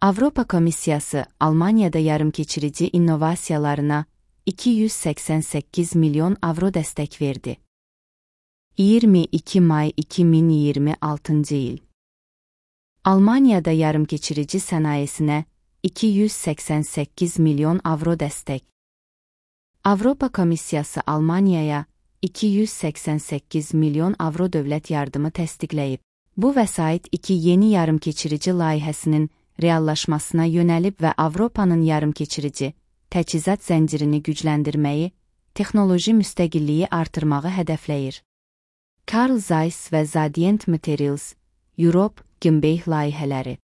Avropa Komissiyası Almaniyada yarımkeçirici innovasiyalarına 288 milyon avro dəstək verdi. 22 may 2026 il. Almaniyada yarımkeçirici sənayesinə 288 milyon avro dəstək. Avropa Komissiyası Almaniyaya 288 milyon avro dövlət yardımı təsdiqləyib. Bu vəsait iki yeni yarımkeçirici layihəsinin reallaşmasına yönəlib və Avropanın yarımkeçirici təchizat zəncirini gücləndirməyi, texnoloji müstəqilliyi artırmağı hədəfləyir. Carl Zeiss və Zadient Materials, Europe Gimbey layihələri.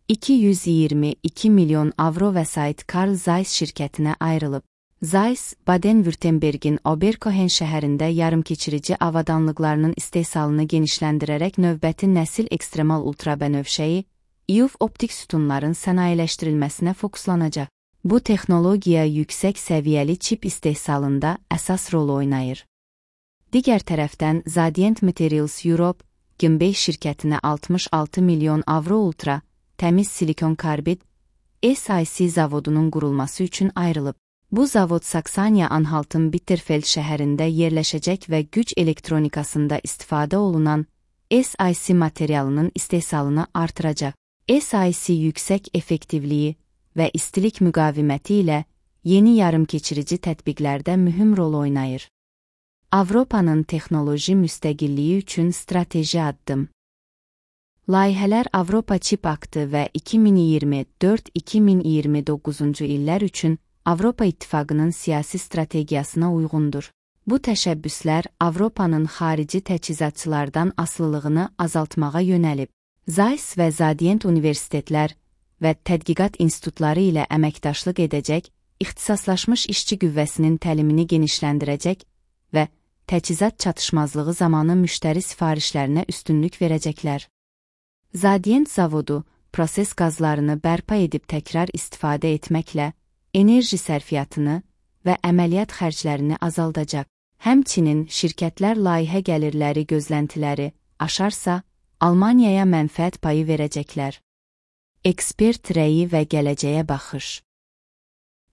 222 milyon avro vəsait Carl Zeiss şirkətinə ayrılıb. Zeiss, Baden-Württembergin Oberkohen şəhərində yarımkeçirici avadanlıqlarının istehsalını genişləndirərək növbəti nəsil ekstremal ultrabənövşəyi, EUV optik sütunların sənayeləşdirilməsinə fokuslanacaq. Bu texnologiya yüksək səviyyəli çip istehsalında əsas rol oynayır. Digər tərəfdən Zadient Materials Europe, Gimbey şirkətinə 66 milyon avro ultra, təmiz silikon karbid, SiC zavodunun qurulması üçün ayrılıb. Bu zavod Saksaniya-Anhaltın Bitterfeld şəhərində yerləşəcək və güc elektronikasında istifadə olunan SiC materialının istehsalını artıracaq. SiC yüksək effektivliyi və istilik müqaviməti ilə yeni yarımkeçirici tətbiqlərdə mühüm rol oynayır. Avropanın texnoloji müstəqilliyi üçün strateji addım. Layihələr Avropa Çip Aktı və 2024-2029 illər üçün Avropa İttifaqının siyasi strategiyasına uyğundur. Bu təşəbbüslər Avropanın xarici təchizatçılardan asılılığını azaltmağa yönəlib. Zeiss və Zadient universitetlər və tədqiqat institutları ilə əməkdaşlıq edəcək, ixtisaslaşmış işçi qüvvəsinin təlimini genişləndirəcək və təchizat çatışmazlığı zamanı müştəri sifarişlərinə üstünlük verəcəklər. Zadient zavodu proses qazlarını bərpa edib təkrar istifadə etməklə enerji sərfiyyatını və əməliyyat xərclərini azaldacaq. Həmçinin şirkətlər layihə gəlirləri gözləntiləri aşarsa, Almaniyaya mənfəət payı verəcəklər. Ekspert rəyi və gələcəyə baxış.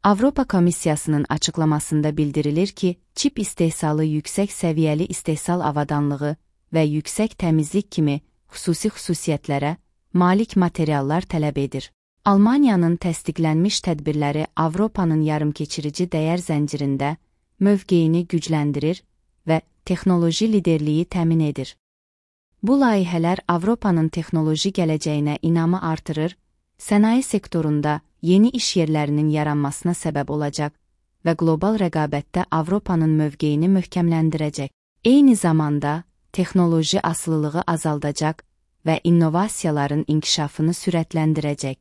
Avropa Komissiyasının açıqlamasında bildirilir ki, çip istehsalı yüksək səviyyəli istehsal avadanlığı və yüksək təmizlik kimi xüsusi xüsusiyyətlərə malik materiallar tələb edir. Almaniyanın təsdiqlənmiş tədbirləri Avropanın yarımkeçirici dəyər zəncirində mövqeyini gücləndirir və texnoloji liderliyi təmin edir. Bu layihələr Avropanın texnoloji gələcəyinə inamı artırır, sənaye sektorunda yeni iş yerlərinin yaranmasına səbəb olacaq və qlobal rəqabətdə Avropanın mövqeyini möhkəmləndirəcək. Eyni zamanda texnoloji asılılığı azaldacaq və innovasiyaların inkişafını sürətləndirəcək.